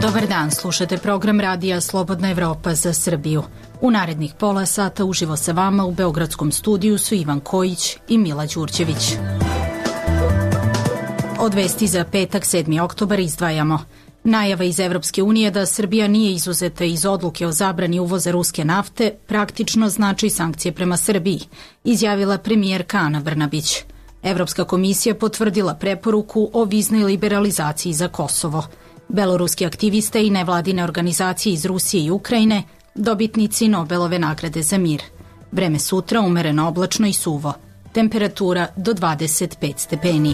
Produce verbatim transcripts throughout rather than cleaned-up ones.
Dobar dan, slušate program radija Slobodna Evropa za Srbiju. U narednih pola sata uživo sa vama u beogradskom studiju su Ivan Kojić i Mila Đurđević. Od vesti za petak, sedmi oktobar izdvajamo. Najava iz Evropske unije da Srbija nije izuzeta iz odluke o zabrani uvoza ruske nafte praktično znači sankcije prema Srbiji, izjavila premijerka Ana Brnabić. Evropska komisija potvrdila preporuku o viznoj liberalizaciji za Kosovo. Beloruski aktiviste i nevladine organizacije iz Rusije i Ukrajine dobitnici Nobelove nagrade za mir. Vreme sutra umereno oblačno i suvo. Temperatura do dvadeset pet stepeni.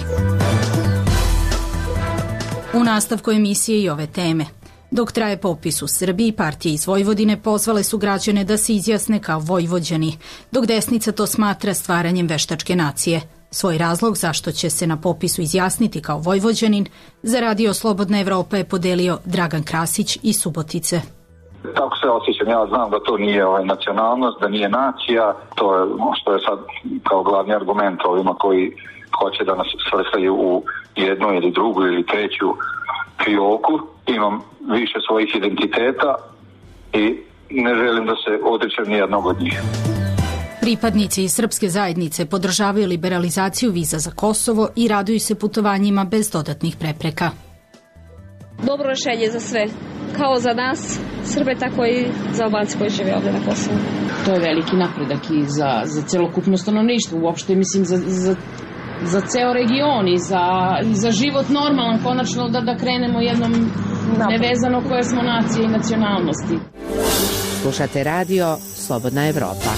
U nastavku emisije i ove teme. Dok traje popis u Srbiji, partije iz Vojvodine pozvale su građane da se izjasne kao Vojvođani, dok desnica to smatra stvaranjem veštačke nacije. Svoj razlog zašto će se na popisu izjasniti kao Vojvođanin za Radio Slobodna Evropa je podelio Dragan Krasić iz Subotice. Tako se osjećam, ja znam da to nije ovaj, nacionalnost, da nije nacija, to je što je sad kao glavni argument ovima koji hoće da nas svrstaju u jednu ili drugu ili treću fioku. Imam više svojih identiteta i ne želim da se odričem nijednog od njih. Pripadnici iz srpske zajednice podržavaju liberalizaciju viza za Kosovo i raduju se putovanjima bez dodatnih prepreka. Dobro rešenje za sve, kao za nas Srbe, tako i za Albance koji žive ovde na Kosovu. To je veliki napredak i za, za celokupno stanovništvo, uopšte mislim za, za, za ceo region i za, i za život normalan, konačno da, da krenemo jednom nevezano koje smo nacije i nacionalnosti. Slušate radio Slobodna Evropa.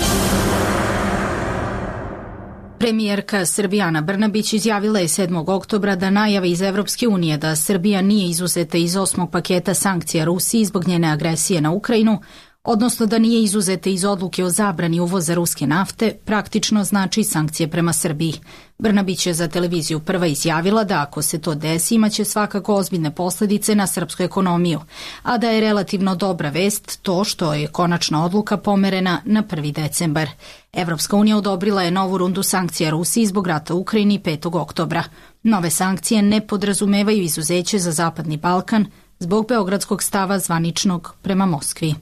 Premijerka Srbije Ana Brnabić izjavila je sedmog oktobra da najave iz Evropske unije da Srbija nije izuzeta iz osmog paketa sankcija Rusiji zbog njene agresije na Ukrajinu, odnosno da nije izuzeta iz odluke o zabrani uvoza ruske nafte, praktično znači sankcije prema Srbiji. Brnabić je za televiziju Prva izjavila da ako se to desi imaće svakako ozbiljne posledice na srpsku ekonomiju, a da je relativno dobra vest to što je konačna odluka pomerena na prvi decembar. Evropska unija odobrila je novu rundu sankcija Rusiji zbog rata u Ukrajini petog oktobra. Nove sankcije ne podrazumevaju izuzeće za Zapadni Balkan zbog beogradskog stava zvaničnog prema Moskvi.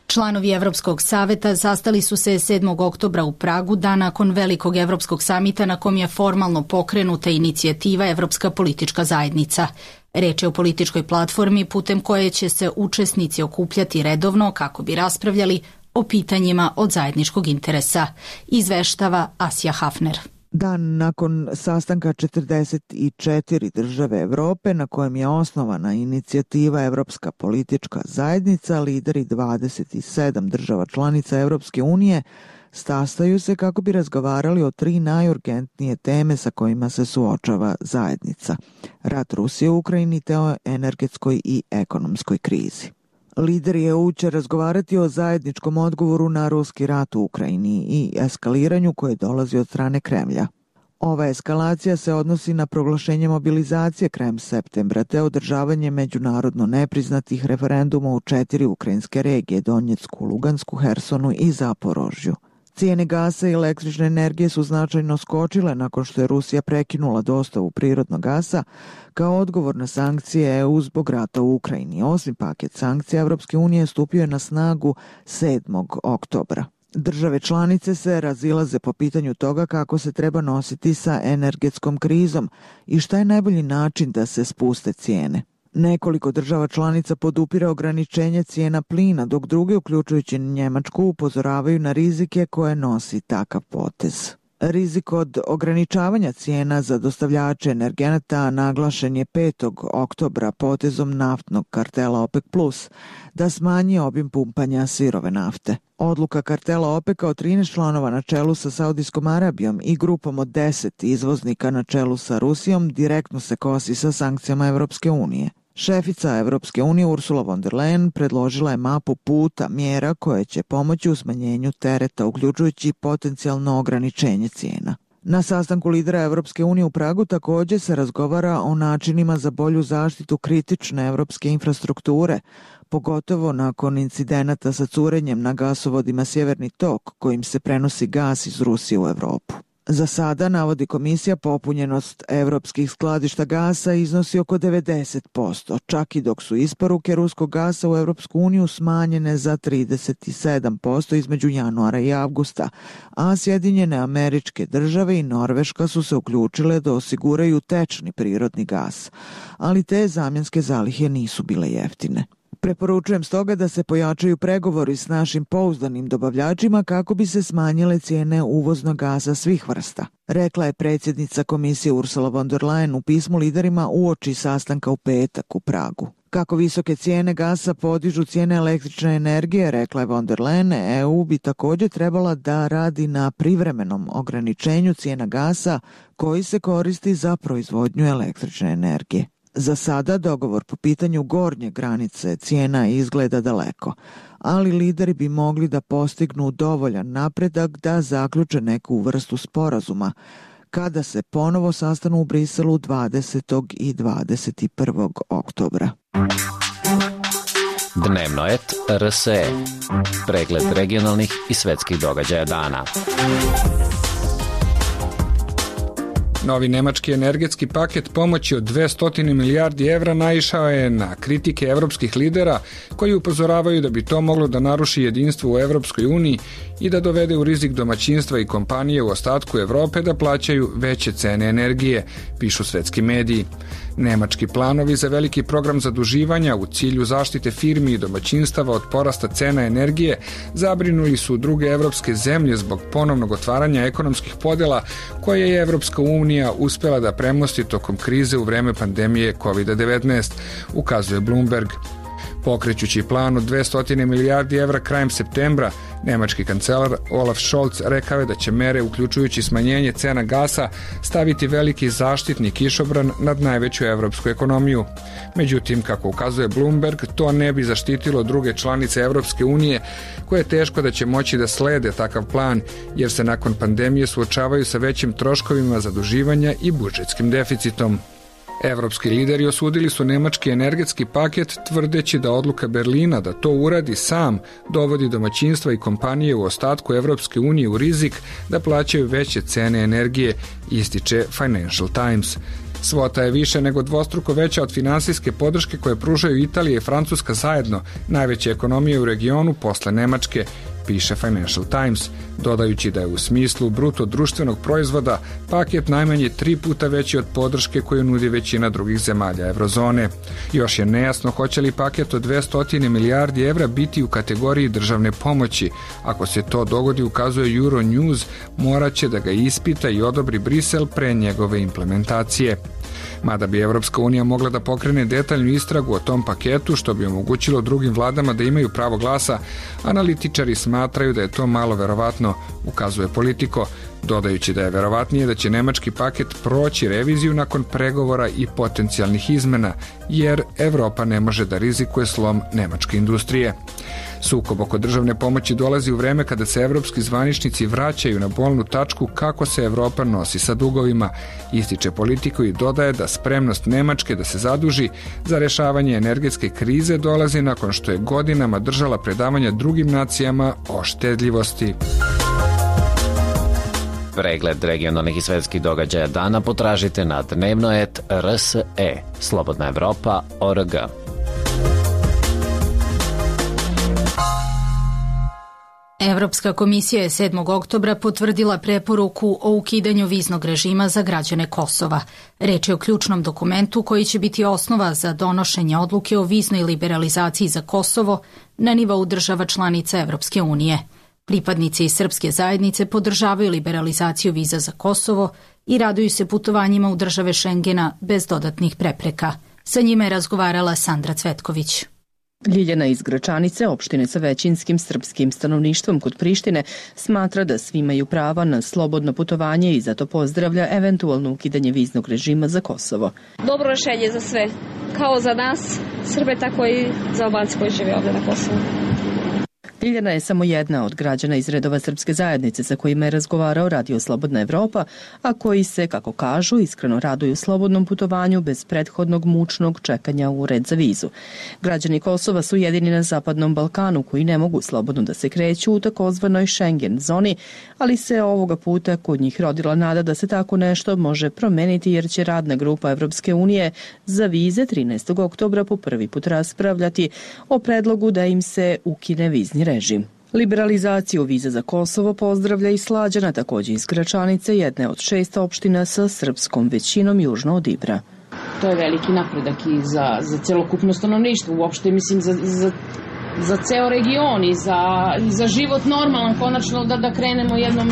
Članovi Evropskog saveta sastali su se sedmog oktobra u Pragu, dan nakon velikog Evropskog samita na kom je formalno pokrenuta inicijativa Evropska politička zajednica. Reč je o političkoj platformi putem koje će se učesnici okupljati redovno kako bi raspravljali o pitanjima od zajedničkog interesa, izveštava Asja Hafner. Dan nakon sastanka četrdeset četiri države Evrope na kojem je osnovana inicijativa Evropska politička zajednica, lideri dvadeset sedam država članica Evropske unije sastaju se kako bi razgovarali o tri najurgentnije teme sa kojima se suočava zajednica: rat Rusije u Ukrajini te o energetskoj i ekonomskoj krizi. Lideri E U će razgovarati o zajedničkom odgovoru na ruski rat u Ukrajini i eskaliranju koje dolazi od strane Kremlja. Ova eskalacija se odnosi na proglašenje mobilizacije krajem septembra te održavanje međunarodno nepriznatih referenduma u četiri ukrajinske regije: Donjecku, Lugansku, Hersonu i Zaporožju. Cijene gasa i električne energije su značajno skočile nakon što je Rusija prekinula dostavu prirodnog gasa kao odgovor na sankcije E U zbog rata u Ukrajini. Osmi paket sankcija Evropske unije stupio je na snagu sedmog oktobra. Države članice se razilaze po pitanju toga kako se treba nositi sa energetskom krizom i šta je najbolji način da se spuste cijene. Nekoliko država članica podupire ograničenje cijena plina, dok druge, uključujući Njemačku, upozoravaju na rizike koje nosi takav potez. Rizik od ograničavanja cijena za dostavljače energenata naglašen je petog oktobra potezom naftnog kartela OPEC plus da smanji obim pumpanja sirove nafte. Odluka kartela OPEC-a od trinaest članova na čelu sa Saudijskom Arabijom i grupom od deset izvoznika na čelu sa Rusijom direktno se kosi sa sankcijama Evropske unije. Šefica Evropske unije Ursula von der Leyen predložila je mapu puta mjera koje će pomoći u smanjenju tereta, uključujući potencijalno ograničenje cijena. Na sastanku lidera Evropske unije u Pragu također se razgovara o načinima za bolju zaštitu kritične evropske infrastrukture, pogotovo nakon incidenata sa curenjem na gasovodima Sjeverni tok, kojim se prenosi gas iz Rusije u Evropu. Za sada, navodi komisija, popunjenost evropskih skladišta gasa iznosi oko devedeset posto, čak i dok su isporuke ruskog gasa u Evropsku uniju smanjene za trideset sedam posto između januara i avgusta, a Sjedinjene Američke Države i Norveška su se uključile da osiguraju tečni prirodni gas, ali te zamjenske zalihe nisu bile jeftine. Preporučujem stoga da se pojačaju pregovori s našim pouzdanim dobavljačima kako bi se smanjile cijene uvoznog gasa svih vrsta, rekla je predsjednica komisije Ursula von der Leyen u pismu liderima uoči sastanka u petak u Pragu. Kako visoke cijene gasa podižu cijene električne energije, rekla je von der Leyen, E U bi također trebala da radi na privremenom ograničenju cijena gasa koji se koristi za proizvodnju električne energije. Za sada dogovor po pitanju gornje granice cijena izgleda daleko, ali lideri bi mogli da postignu dovoljan napredak da zaključe neku vrstu sporazuma kada se ponovo sastanu u Briselu dvadesetog i dvadeset prvog oktobra. Dnevno et R S E. Pregled regionalnih i svetskih događaja dana. Novi nemački energetski paket pomoći od dvesta milijardi evra naišao je na kritike evropskih lidera koji upozoravaju da bi to moglo da naruši jedinstvo u Evropskoj uniji i da dovede u rizik domaćinstva i kompanije u ostatku Evrope da plaćaju veće cene energije, pišu svetski mediji. Nemački planovi za veliki program zaduživanja u cilju zaštite firmi i domaćinstava od porasta cena energije zabrinuli su druge evropske zemlje zbog ponovnog otvaranja ekonomskih podela koje je Evropska unija uspela da premosti tokom krize u vreme pandemije kovid devetnaest, ukazuje Bloomberg. Pokrećući plan od dvesta milijardi evra krajem septembra, nemački kancelar Olaf Scholz rekao je da će mere, uključujući smanjenje cena gasa, staviti veliki zaštitni kišobran nad najveću evropsku ekonomiju. Međutim, kako ukazuje Bloomberg, to ne bi zaštitilo druge članice Evropske unije, koje je teško da će moći da slede takav plan, jer se nakon pandemije suočavaju sa većim troškovima zaduživanja i budžetskim deficitom. Evropski lideri osudili su nemački energetski paket tvrdeći da odluka Berlina da to uradi sam dovodi domaćinstva i kompanije u ostatku Evropske unije u rizik da plaćaju veće cene energije, ističe Financial Times. Svota je više nego dvostruko veća od finansijske podrške koje pružaju Italija i Francuska zajedno, najveće ekonomije u regionu posle Nemačke, piše Financial Times, dodajući da je u smislu bruto društvenog proizvoda paket najmanje tri puta veći od podrške koju nudi većina drugih zemalja eurozone. Još je nejasno hoće li paket od dvesta milijardi evra biti u kategoriji državne pomoći. Ako se to dogodi, ukazuje Euronews, morat će da ga ispita i odobri Brisel pre njegove implementacije. Mada bi Evropska unija mogla da pokrene detaljnu istragu o tom paketu, što bi omogućilo drugim vladama da imaju pravo glasa, analitičari smatraju da je to malo verovatno, ukazuje Politico, dodajući da je verovatnije da će nemački paket proći reviziju nakon pregovora i potencijalnih izmena, jer Evropa ne može da rizikuje slom nemačke industrije. Sukob oko državne pomoći dolazi u vreme kada se evropski zvaničnici vraćaju na bolnu tačku kako se Evropa nosi sa dugovima, ističe Politico i dodaje da spremnost Nemačke da se zaduži za rešavanje energetske krize dolazi nakon što je godinama držala predavanja drugim nacijama o štedljivosti. Pregled regionalnih i svetskih događaja dana potražite na dnevno et R S E, Slobodna Evropa tačka org. Evropska komisija je sedmog oktobra potvrdila preporuku o ukidanju viznog režima za građane Kosova. Reč je o ključnom dokumentu koji će biti osnova za donošenje odluke o viznoj liberalizaciji za Kosovo na nivou država članica Evropske unije. Pripadnici srpske zajednice podržavaju liberalizaciju viza za Kosovo i raduju se putovanjima u države Šengena bez dodatnih prepreka. Sa njima je razgovarala Sandra Cvetković. Ljiljana iz Gračanice, opštine sa većinskim srpskim stanovništvom kod Prištine, smatra da svi imaju prava na slobodno putovanje i zato pozdravlja eventualno ukidanje viznog režima za Kosovo. Dobro rešenje za sve, kao za nas Srbe, tako i za Albance koji žive ovde na Kosovu. Ljiljana je samo jedna od građana iz redova srpske zajednice sa kojima je razgovarao Radio Slobodna Evropa, a koji se, kako kažu, iskreno raduju slobodnom putovanju bez prethodnog mučnog čekanja u red za vizu. Građani Kosova su jedini na Zapadnom Balkanu koji ne mogu slobodno da se kreću u takozvanoj Schengen zoni, ali se ovoga puta kod njih rodila nada da se tako nešto može promeniti jer će radna grupa Evropske unije za vize trinaestog oktobra po prvi put raspravljati o predlogu da im se ukine vizni režim. Liberalizaciju viza za Kosovo pozdravlja i Slađana, takođe iz Gračanice, jedne od šest opština sa srpskom većinom južno od Ibra. To je veliki napredak i za, za celokupno stanovništvo, uopšte mislim za, za, za ceo region i za, i za život normalan, konačno da, da krenemo jednom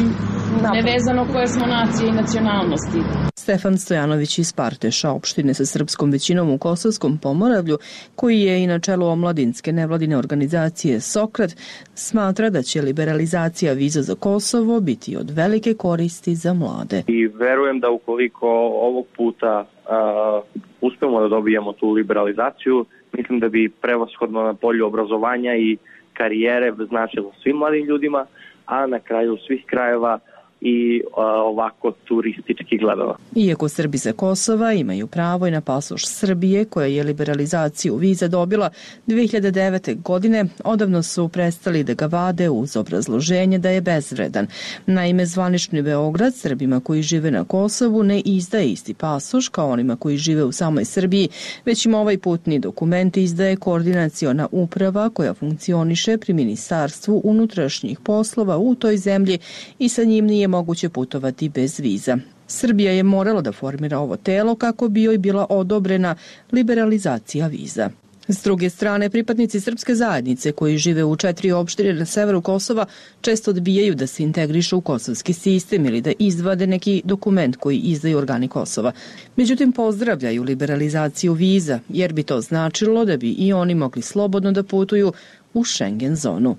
nevezano koje smo nacije i nacionalnosti. Stefan Stojanović iz Parteša, opštine sa srpskom većinom u Kosovskom Pomoravlju, koji je i na čelu omladinske nevladine organizacije Sokrat, smatra da će liberalizacija viza za Kosovo biti od velike koristi za mlade. I verujem da ukoliko ovog puta uh, uspemo da dobijemo tu liberalizaciju, mislim da bi prevashodno na polju obrazovanja i karijere značilo svim mladim ljudima, a na kraju svih krajeva i a, ovako turistički gledano. Iako Srbi sa Kosova imaju pravo i na pasoš Srbije, koja je liberalizaciju viza dobila dve hiljade devete. godine, odavno su prestali da ga vade uz obrazloženje da je bezvredan. Naime, zvanični Beograd Srbima koji žive na Kosovu ne izdaje isti pasoš kao onima koji žive u samoj Srbiji, već im ovaj putni dokument izdaje koordinaciona uprava koja funkcioniše pri Ministarstvu unutrašnjih poslova u toj zemlji i sa njim nije moguće putovati bez viza. Srbija je morala da formira ovo telo kako bi joj bila odobrena liberalizacija viza. S druge strane, pripadnici srpske zajednice koji žive u četiri opštine na severu Kosova često odbijaju da se integrišu u kosovski sistem ili da izvade neki dokument koji izdaju organi Kosova. Međutim, pozdravljaju liberalizaciju viza jer bi to značilo da bi i oni mogli slobodno da putuju u Schengen zonu.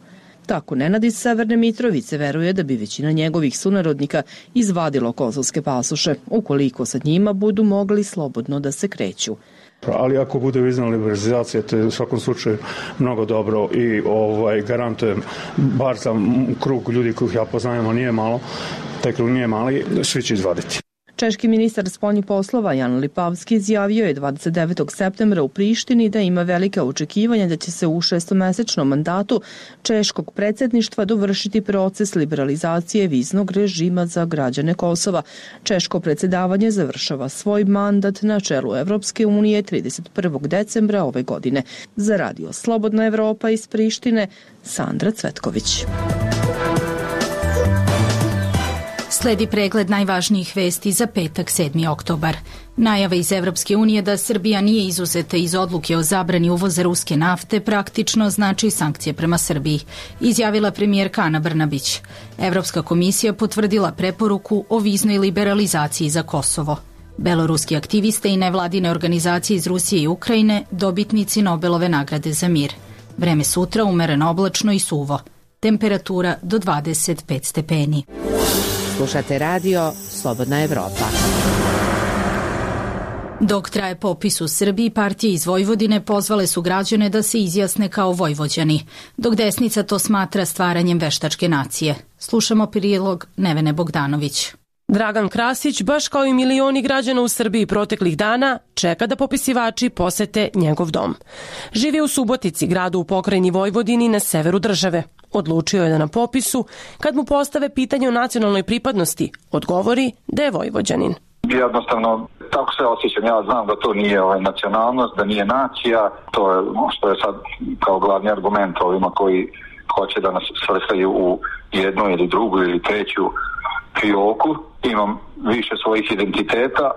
Tako Nenad iz Severne Mitrovice veruje da bi većina njegovih sunarodnika izvadilo kosovske pasoše, ukoliko sa njima budu mogli slobodno da se kreću. Ali ako bude vizna liberalizacija, to je u svakom slučaju mnogo dobro i ovaj, garantujem, bar za krug ljudi kojih ja poznajem, a nije malo, taj krug nije mali, svi će izvaditi. Češki ministar spoljnih poslova Jan Lipavski izjavio je dvadeset devetog septembra u Prištini da ima velika očekivanja da će se u šestomesečnom mandatu češkog predsjedništva dovršiti proces liberalizacije viznog režima za građane Kosova. Češko predsjedavanje završava svoj mandat na čelu Evropske unije trideset prvog decembra ove godine. Za Radio Slobodna Evropa iz Prištine, Sandra Cvetković. Sledi pregled najvažnijih vesti za petak sedmi oktobar. Najava iz Evropske unije da Srbija nije izuzeta iz odluke o zabrani uvoza ruske nafte praktično znači sankcije prema Srbiji, izjavila premijerka Ana Brnabić. Evropska komisija potvrdila preporuku o viznoj liberalizaciji za Kosovo. Beloruski aktiviste i nevladine organizacije iz Rusije i Ukrajine dobitnici Nobelove nagrade za mir. Vreme sutra umereno oblačno i suvo. Temperatura do dvadeset pet stepeni. Slušate radio Slobodna Evropa. Dok traje popis u Srbiji, partije iz Vojvodine pozvale su građane da se izjasne kao Vojvođani, dok desnica to smatra stvaranjem veštačke nacije. Slušamo prilog Nevene Bogdanović. Dragan Krasić, baš kao i milioni građana u Srbiji proteklih dana, čeka da popisivači posete njegov dom. Živi u Subotici, gradu u pokrajini Vojvodini na severu države. Odlučio je da na popisu, kad mu postave pitanje o nacionalnoj pripadnosti, odgovori da je Vojvođanin. Jednostavno, tako se osjećam. Ja znam da to nije ovaj, nacionalnost, da nije nacija. To je što je sad kao glavni argument ovima koji hoće da nas svrstaju u jednu ili drugu ili treću fioku. Imam više svojih identiteta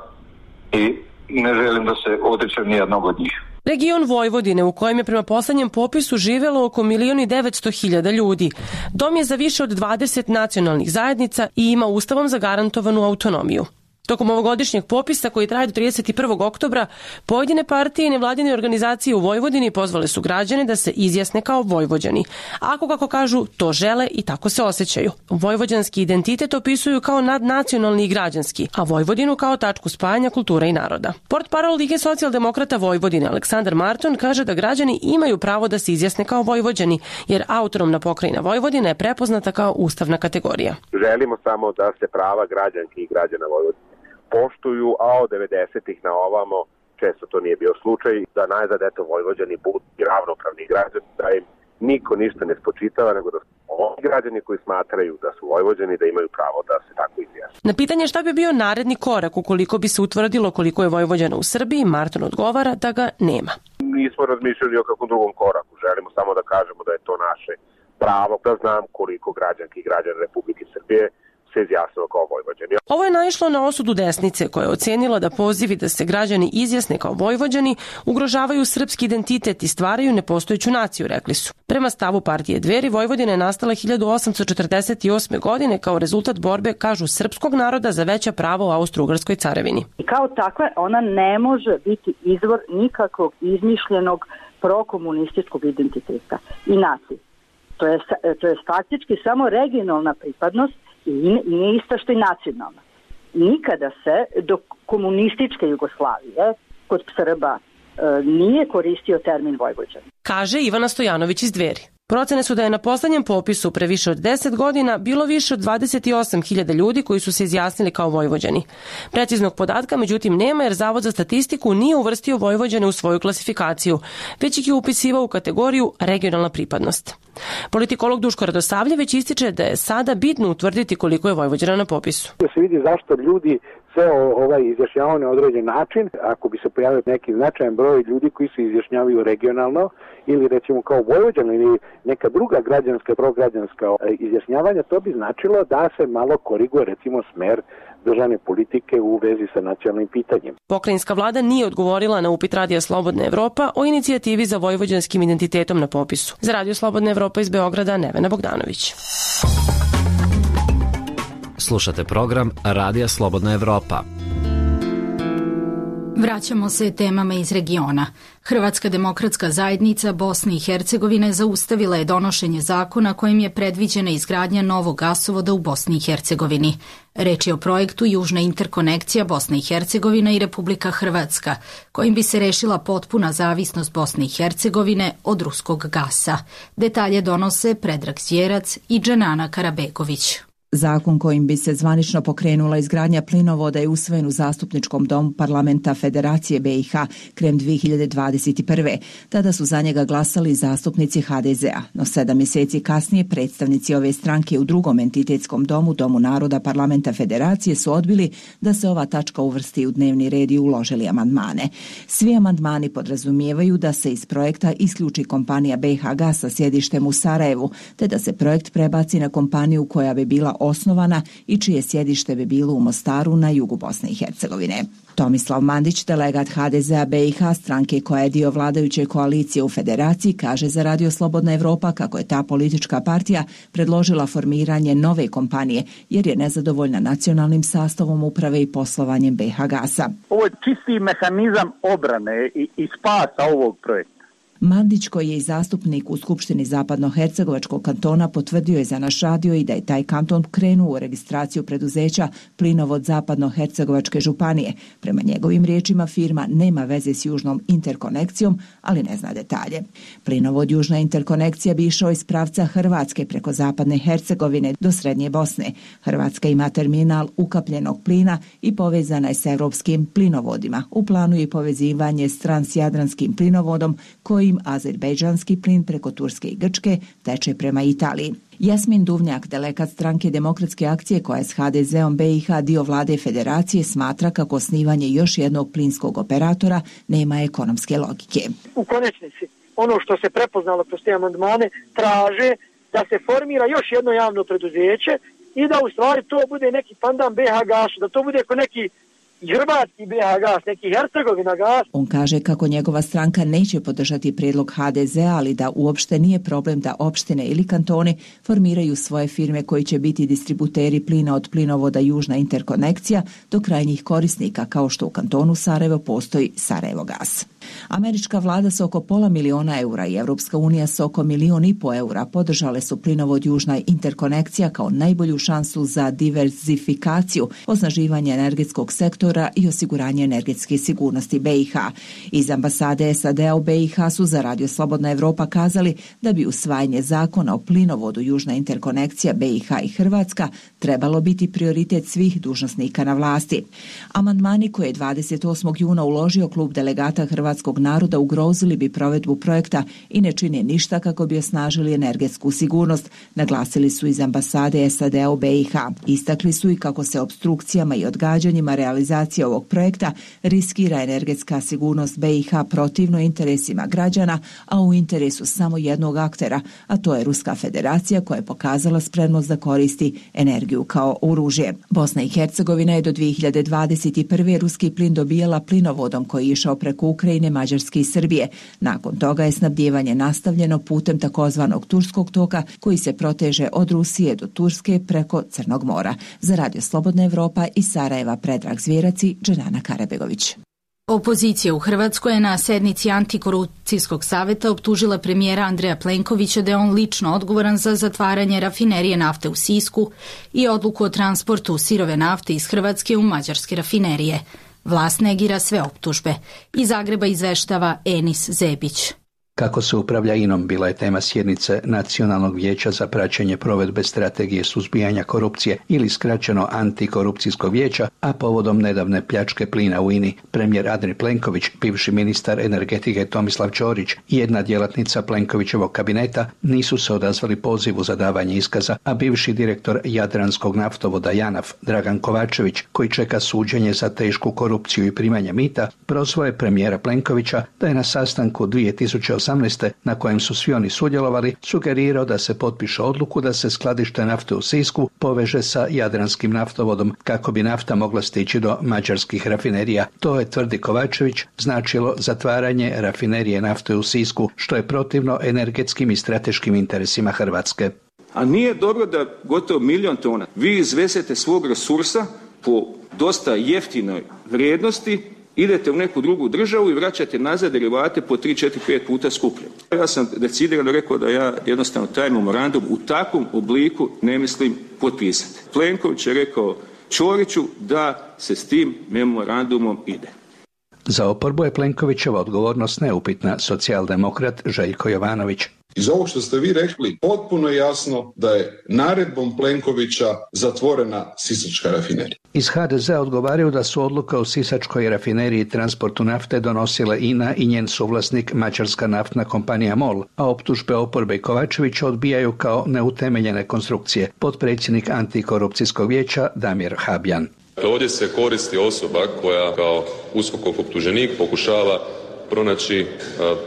i ne želim da se odričem nijednog od njih. Region Vojvodine, u kojem je prema poslednjem popisu živelo oko milion i devetsto hiljada ljudi. Dom je za više od dvadeset nacionalnih zajednica i ima ustavom zagarantovanu autonomiju. Tokom ovogodišnjeg popisa koji traje do trideset prvog oktobra, pojedine partije i nevladine organizacije u Vojvodini pozvale su građane da se izjasne kao Vojvođani. Ako, kako kažu, to žele i tako se osjećaju. Vojvođanski identitet opisuju kao nadnacionalni i građanski, a Vojvodinu kao tačku spajanja kulture i naroda. Portparol Lige socijaldemokrata Vojvodine Aleksandar Marton kaže da građani imaju pravo da se izjasne kao Vojvođani, jer autonomna pokrajina Vojvodina je prepoznata kao ustavna kategorija. Želimo samo da se prava građanki i građana Vojvodine poštuju, a od devedesetih na ovamo često to nije bio slučaj, da najzad eto Vojvođani budu ravnopravni građani, da im niko ništa ne spočitava, nego da su oni građani koji smatraju da su Vojvođani, da imaju pravo da se tako izjasne. Na pitanje šta bi bio naredni korak ukoliko bi se utvrdilo koliko je Vojvođana u Srbiji, Marton odgovara da ga nema. Nismo razmišljali o kakvom drugom koraku, želimo samo da kažemo da je to naše pravo, da znam koliko građanki i građana Republike Srbije se izjasnilo kao Vojvođani. Ovo je naišlo na osudu desnice koja je ocenila da pozivi da se građani izjasne kao Vojvođani ugrožavaju srpski identitet i stvaraju nepostojeću naciju, rekli su. Prema stavu partije Dveri, Vojvodina je nastala hiljadu osamsto četrdeset osme. godine kao rezultat borbe, kažu, srpskog naroda za veća prava u Austro-Ugarskoj carevini. I kao takva ona ne može biti izvor nikakvog izmišljenog prokomunističkog identiteta i nacije. To je, to je faktički samo regionalna pripadnost i nije ista što i nacionalna. Nikada se do komunističke Jugoslavije kod Srba e, nije koristio termin Vojvođan. Kaže Ivana Stojanović iz Dveri. Procene su da je na poslednjem popisu pre više od deset godina bilo više od dvadeset osam hiljada ljudi koji su se izjasnili kao Vojvođani. Preciznog podatka međutim nema jer Zavod za statistiku nije uvrstio Vojvođane u svoju klasifikaciju, već ih je upisivao u kategoriju regionalna pripadnost. Politikolog Duško Radosavljević ističe da je sada bitno utvrditi koliko je Vojvođana na popisu. Da se vidi zašto ljudi se ovaj izjašnjavaju na određen način, ako bi se pojavio neki značajan broj ljudi koji se izjašnjavaju regionalno ili recimo kao Vojvođani ili neka druga građanska, prograđanska izjašnjavanja, to bi značilo da se malo koriguje recimo smer državne politike u vezi sa nacionalnim pitanjem. Pokrajinska vlada nije odgovorila na upit Radija Slobodna Evropa o inicijativi za vojvođanskim identitetom na popisu. Za Radio Slobodna Evropa iz Beograda, Nevena Bogdanović. Slušate program Radija Slobodna Evropa. Vraćamo se temama iz regiona. Hrvatska demokratska zajednica Bosne i Hercegovine zaustavila je donošenje zakona kojim je predviđena izgradnja novog gasovoda u Bosni i Hercegovini. Reč je o projektu Južna interkonekcija Bosna i Hercegovina i Republika Hrvatska, kojim bi se rešila potpuna zavisnost Bosne i Hercegovine od ruskog gasa. Detalje donose Predrag Zjerac i Dženana Karabegović. Zakon kojim bi se zvanično pokrenula izgradnja plinovoda je usvojen u Zastupničkom domu Parlamenta Federacije B i H krajem dve hiljade dvadeset prve. Tada su za njega glasali zastupnici H D Z a, no sedam mjeseci kasnije predstavnici ove stranke u drugom entitetskom domu, Domu naroda Parlamenta Federacije, su odbili da se ova tačka uvrsti u dnevni red i uložili amandmane. Svi amandmani podrazumijevaju da se iz projekta isključi kompanija B i H Gas sa sjedištem u Sarajevu, te da se projekt prebaci na kompaniju koja bi bila osnovana i čije sjedište bi bilo u Mostaru na jugu Bosne i Hercegovine. Tomislav Mandić, delegat H D Z a B i H, stranke koja je dio vladajuće koalicije u Federaciji, kaže za Radio Slobodna Evropa kako je ta politička partija predložila formiranje nove kompanije jer je nezadovoljna nacionalnim sastavom uprave i poslovanjem B i H Gasa. Ovo je čisti mehanizam obrane i, i spasa ovog projekta. Mandić, koji je i zastupnik u Skupštini Zapadnohercegovačkog kantona, potvrdio je za naš radio i da je taj kanton krenuo u registraciju preduzeća Plinovod Zapadnohercegovačke županije. Prema njegovim riječima firma nema veze s Južnom interkonekcijom, ali ne zna detalje. Plinovod Južna interkonekcija bi išao iz pravca Hrvatske preko Zapadne Hercegovine do Srednje Bosne. Hrvatska ima terminal ukapljenog plina i povezana je s evropskim plinovodima. U planu je povezivanje s transjadranskim plinovodom koji azerbejdžanski plin preko Turske i Grčke teče prema Italiji. Jasmin Duvnjak, delegat stranke Demokratske akcije koja je s H D Z om B i H dio vlade Federacije, smatra kako osnivanje još jednog plinskog operatora nema ekonomske logike. U konečnici, ono što se prepoznalo kroz te amandmane traže da se formira još jedno javno preduzeće i da u stvari to bude neki pandan B H Gasu, da to bude ko neki i hrvatski B H gas, neki Hercegovina gas. On kaže kako njegova stranka neće podržati prijedlog H D Z-a, ali da uopšte nije problem da opštine ili kantoni formiraju svoje firme koji će biti distributeri plina od plinovoda Južna interkonekcija do krajnjih korisnika, kao što u kantonu Sarajevo postoji Sarajevo gas. Američka vlada sa oko pola miliona eura i Evropska unija sa oko milion i po eura podržale su plinovod Južna interkonekcija kao najbolju šansu za diverzifikaciju, osnaživanje energetskog sektora i osiguranje energetske sigurnosti B i H. Iz ambasade S A D-a u B i H su za Radio Slobodna Evropa kazali da bi usvajanje zakona o plinovodu Južna interkonekcija B i H i Hrvatska trebalo biti prioritet svih dužnosnika na vlasti. Amandmani koje je dvadeset osmog juna uložio klub delegata hrvatskog naroda ugrozili bi provedbu projekta i ne čine ništa kako bi osnažili energetsku sigurnost, naglasili su iz ambasade S A D-a u B i H. Istakli su i kako se obstrukcijama i odgađanjima realizacije ovog projekta riskira energetska sigurnost B i H protivno interesima građana, a u interesu samo jednog aktera, a to je Ruska federacija koja je pokazala spremnost da koristi energiju kao oružje. Bosna i Hercegovina je do dvije hiljade dvadeset prve ruski plin dobijala plinovodom koji je išao preko Ukrajine, Mađarske i Srbije. Nakon toga je snabdijevanje nastavljeno putem takozvanog Turskog toka koji se proteže od Rusije do Turske preko Crnog mora. Za Radio Slobodna Evropa iz Sarajeva Predrag Zvjerac i Dženana Karabegović. Opozicija u Hrvatskoj je na sednici Antikorupcijskog saveta optužila premijera Andreja Plenkovića da je on lično odgovoran za zatvaranje rafinerije nafte u Sisku i odluku o transportu sirove nafte iz Hrvatske u mađarske rafinerije. Vlast negira sve optužbe. Iz Zagreba izveštava Enis Zebić. Kako se upravlja I N O M bila je tema sjednice Nacionalnog vijeća za praćenje provedbe strategije suzbijanja korupcije ili skraćeno Antikorupcijskog vijeća, a povodom nedavne pljačke plina u I N I, premijer Andrej Plenković, bivši ministar energetike Tomislav Ćorić i jedna djelatnica Plenkovićevog kabineta nisu se odazvali pozivu za davanje iskaza, a bivši direktor Jadranskog naftovoda JANAF Dragan Kovačević, koji čeka suđenje za tešku korupciju i primanje mita, prozvao je premijera Plenkovića da je na sastanku dvije tisuće osamnaeste na kojem su svi oni sudjelovali, sugerirao da se potpiše odluku da se skladište nafte u Sisku poveže sa Jadranskim naftovodom kako bi nafta mogla stići do mađarskih rafinerija. To je, tvrdi Kovačević, značilo zatvaranje rafinerije nafte u Sisku, što je protivno energetskim i strateškim interesima Hrvatske. A nije dobro da gotovo milion tona vi izvezete svog resursa po dosta jeftinoj vrijednosti, idete u neku drugu državu i vraćate nazad derivate po tri, četiri, pet puta skuplje. Ja sam decidirano rekao da ja jednostavno taj memorandum u takvom obliku ne mislim potpisati. Plenković je rekao Ćoriću da se s tim memorandumom ide. Za oporbu je Plenkovićeva odgovornost neupitna, socijaldemokrat Željko Jovanović. Iz ovog što ste vi rekli, potpuno je jasno da je naredbom Plenkovića zatvorena sisačka rafinerija. Iz H D Z-a odgovaraju da su odluka o sisačkoj rafineriji i transportu nafte donosile I N A i njen suvlasnik mađarska naftna kompanija MOL, a optužbe oporbe i Kovačevića odbijaju kao neutemeljene konstrukcije. Potpredsjednik Antikorupcijskog vijeća Damir Habjan. Ovdje se koristi osoba koja kao USKOK-ov optuženik pokušava pronaći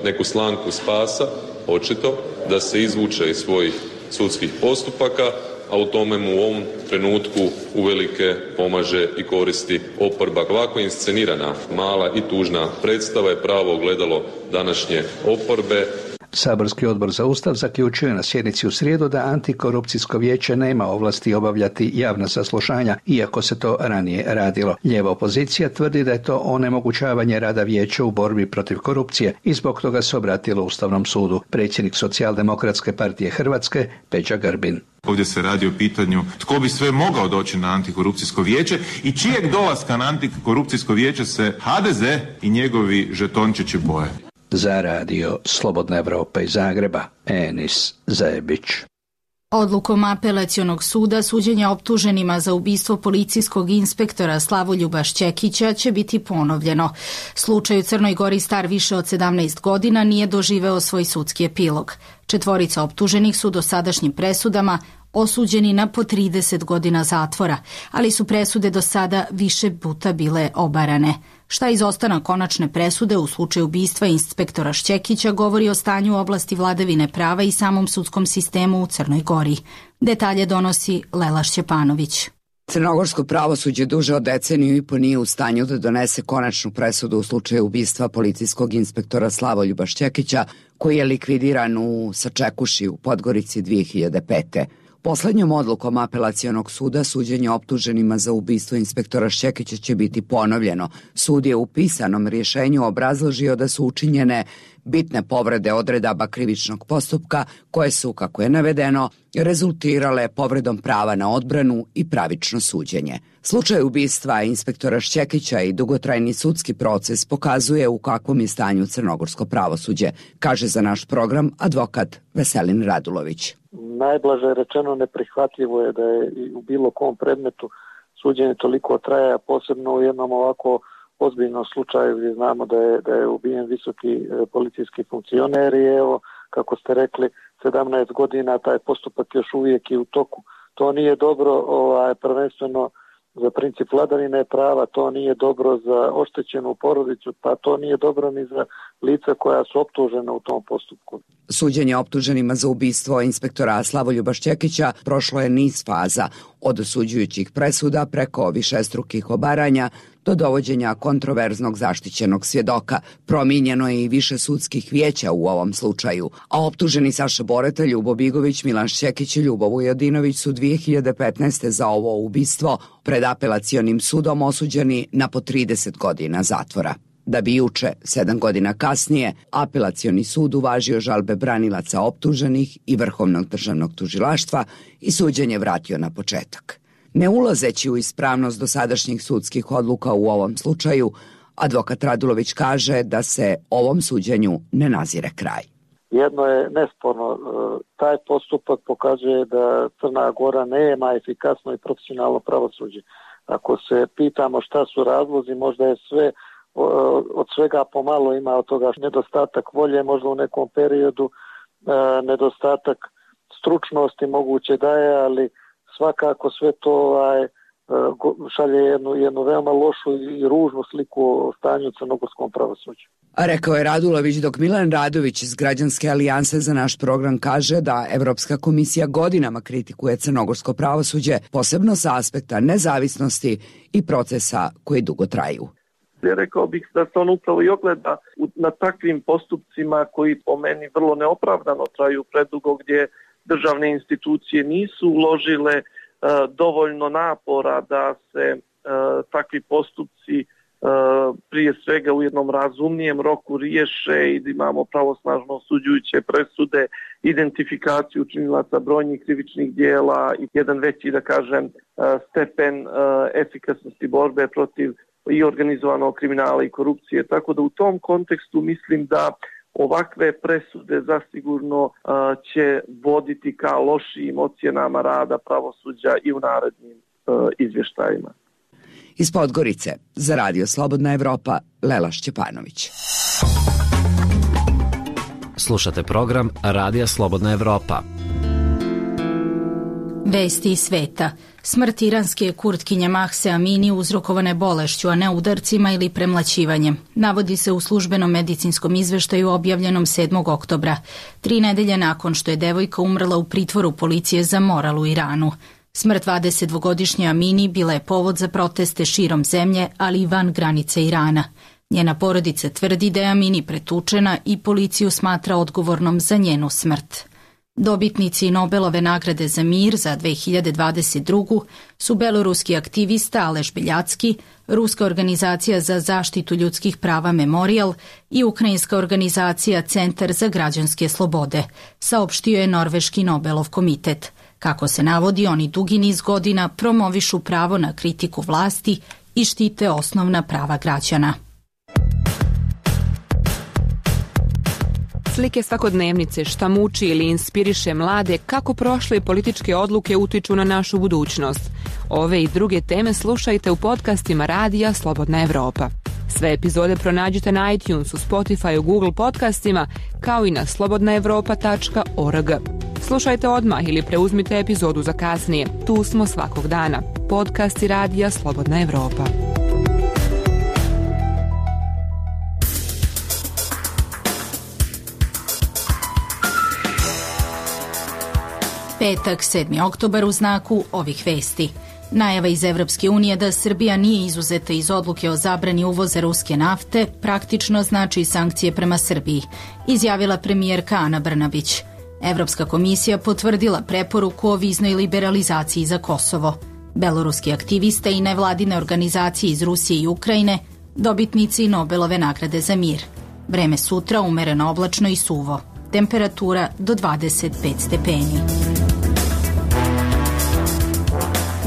neku slamku spasa, očito, da se izvuče iz svojih sudskih postupaka, a u tome mu u ovom trenutku uvelike pomaže i koristi oporba. Ovako inscenirana mala i tužna predstava je pravo ogledalo današnje oporbe. Saborski odbor za Ustav zaključio je na sjednici u srijedu da Antikorupcijsko vijeće nema ovlasti obavljati javna saslušanja, iako se to ranije radilo. Lijeva opozicija tvrdi da je to onemogućavanje rada vijeća u borbi protiv korupcije i zbog toga se obratilo Ustavnom sudu. Predsjednik Socijaldemokratske partije Hrvatske Peđa Grbin. Ovdje se radi o pitanju tko bi sve mogao doći na Antikorupcijsko vijeće i čijeg dolaska na Antikorupcijsko vijeće se H D Z i njegovi žetončići boje. Za Radio Slobodna Evropa iz Zagreba, Enis Zebić. Odlukom apelacionog suda suđenja optuženima za ubistvo policijskog inspektora Slavoljuba Šćekića će biti ponovljeno. Slučaj u Crnoj Gori star više od sedamnaest godina nije doživeo svoj sudski epilog. Četvorica optuženih su dosadašnjim presudama osuđeni na po trideset godina zatvora, ali su presude do sada više puta bile obarane. Šta izostana konačne presude u slučaju ubistva inspektora Šćekića govori o stanju u oblasti vladavine prava i samom sudskom sistemu u Crnoj Gori. Detalje donosi Lela Šćepanović. Crnogorsko pravosuđe duže od deceniju i po nije u stanju da donese konačnu presudu u slučaju ubistva policijskog inspektora Slavoljuba Šćekića, koji je likvidiran u Sačekuši u Podgorici dvije hiljade pete. Poslednjom odlukom apelacionog suda suđenje optuženima za ubistvo inspektora Šćekića će biti ponovljeno. Sud je u pisanom rješenju obrazložio da su učinjene bitne povrede odredaba krivičnog postupka koje su, kako je navedeno, rezultirale povredom prava na odbranu i pravično suđenje. Slučaj ubistva inspektora Šćekića i dugotrajni sudski proces pokazuje u kakvom je stanju crnogorsko pravosuđe, kaže za naš program advokat Veselin Radulović. Najblaže rečeno neprihvatljivo je da je u bilo kom predmetu suđenje toliko traja, posebno u jednom ovako ozbiljnom slučaju gdje znamo da je, da je ubijen visoki policijski funkcioner i evo, kako ste rekli, sedamnaest godina taj postupak još uvijek je u toku. To nije dobro, ovaj, prvenstveno za princip vladavine prava, to nije dobro za oštećenu porodicu, pa to nije dobro ni za lica koja su optužena u tom postupku. Suđenje optuženima za ubistvo inspektora Slavoljuba Šćekića prošlo je niz faza, od osuđujućih presuda preko višestrukih obaranja do dovođenja kontroverznog zaštićenog svjedoka. Promijenjeno je i više sudskih vijeća u ovom slučaju, a optuženi Saša Boreta, Ljubo Bigović, Milan Šćekić i Ljubo Vujodinović su dvije hiljade petnaeste. za ovo ubistvo pred apelacionim sudom osuđeni na po trideset godina zatvora. Da bi juče, sedam godina kasnije, apelacioni sud uvažio žalbe branilaca optuženih i Vrhovnog državnog tužilaštva i suđenje vratio na početak. Ne ulazeći u ispravnost dosadašnjih sudskih odluka u ovom slučaju, advokat Radulović kaže da se ovom suđenju ne nazire kraj. Jedno je nesporno, taj postupak pokazuje da Crna Gora nema efikasno i profesionalno pravosuđe. Ako se pitamo šta su razlozi, možda je sve od svega pomalo, ima od toga nedostatak volje, možda u nekom periodu nedostatak stručnosti moguće da je, ali svakako sve to ovaj, šalje jednu, jednu veoma lošu i ružnu sliku o stanju u crnogorskom pravosuđu. A rekao je Radulović, dok Milan Radović iz Građanske alijanse za naš program kaže da Evropska komisija godinama kritikuje crnogorsko pravosuđe, posebno sa aspekta nezavisnosti i procesa koji dugo traju. Rekao bih da se on upravo i ogleda na takvim postupcima koji po meni vrlo neopravdano traju predugo, gdje državne institucije nisu uložile uh, dovoljno napora da se uh, takvi postupci uh, prije svega u jednom razumnijem roku riješe i da imamo pravosnažno osuđujuće presude, identifikaciju učinilaca brojnih krivičnih dijela i jedan veći, da kažem, uh, stepen uh, efikasnosti borbe protiv i organizovanog kriminala i korupcije. Tako da u tom kontekstu mislim da ovakve presude zasigurno uh, će voditi ka lošijim ocjenama rada pravosuđa i u narednim uh, izvještajima. Iz Podgorice, za Radio Slobodna Evropa, Lela Šćepanović. Slušate program Radija Slobodna Evropa. Vesti iz sveta. Smrt iranske kurtkinje Mahse Amini uzrokovane bolešću, a ne udarcima ili premlaćivanjem. Navodi se u službenom medicinskom izveštaju objavljenom sedmog oktobra, tri nedelje nakon što je devojka umrla u pritvoru policije za moral u Iranu. Smrt dvadesetdvogodišnje Amini bila je povod za proteste širom zemlje, ali i van granice Irana. Njena porodica tvrdi da je Amini pretučena i policiju smatra odgovornom za njenu smrt. Dobitnici Nobelove nagrade za mir za dve hiljade dvadeset drugu. su beloruski aktivista Aleš Beljacki, ruska organizacija za zaštitu ljudskih prava Memorial i ukrajinska organizacija Centar za građanske slobode, saopštio je Norveški Nobelov komitet. Kako se navodi, oni dugi niz godina promovišu pravo na kritiku vlasti i štite osnovna prava građana. Slike svakodnevnice, šta muči ili inspiriše mlade, kako prošle političke odluke utiču na našu budućnost. Ove i druge teme slušajte u podcastima Radija Slobodna Evropa. Sve epizode pronađite na iTunesu, Spotifyu, Google podcastima, kao i na slobodna evropa tačka org. Slušajte odmah ili preuzmite epizodu za kasnije. Tu smo svakog dana. Podcasti Radija Slobodna Evropa. Petak, sedmi oktobar u znaku ovih vesti. Najava iz Evropske unije da Srbija nije izuzeta iz odluke o zabrani uvoza ruske nafte praktično znači sankcije prema Srbiji, izjavila premijerka Ana Brnabić. Evropska komisija potvrdila preporuku o viznoj liberalizaciji za Kosovo. Beloruski aktiviste i nevladine organizacije iz Rusije i Ukrajine dobitnici Nobelove nagrade za mir. Vreme sutra umereno oblačno i suvo. Temperatura do dvadeset pet stepeni.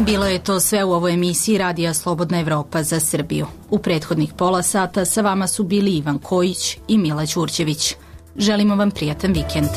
Bilo je to sve u ovoj emisiji Radija Slobodna Evropa za Srbiju. U prethodnih pola sata sa vama su bili Ivan Kojić i Mila Ćurćević. Želimo vam prijatan vikend.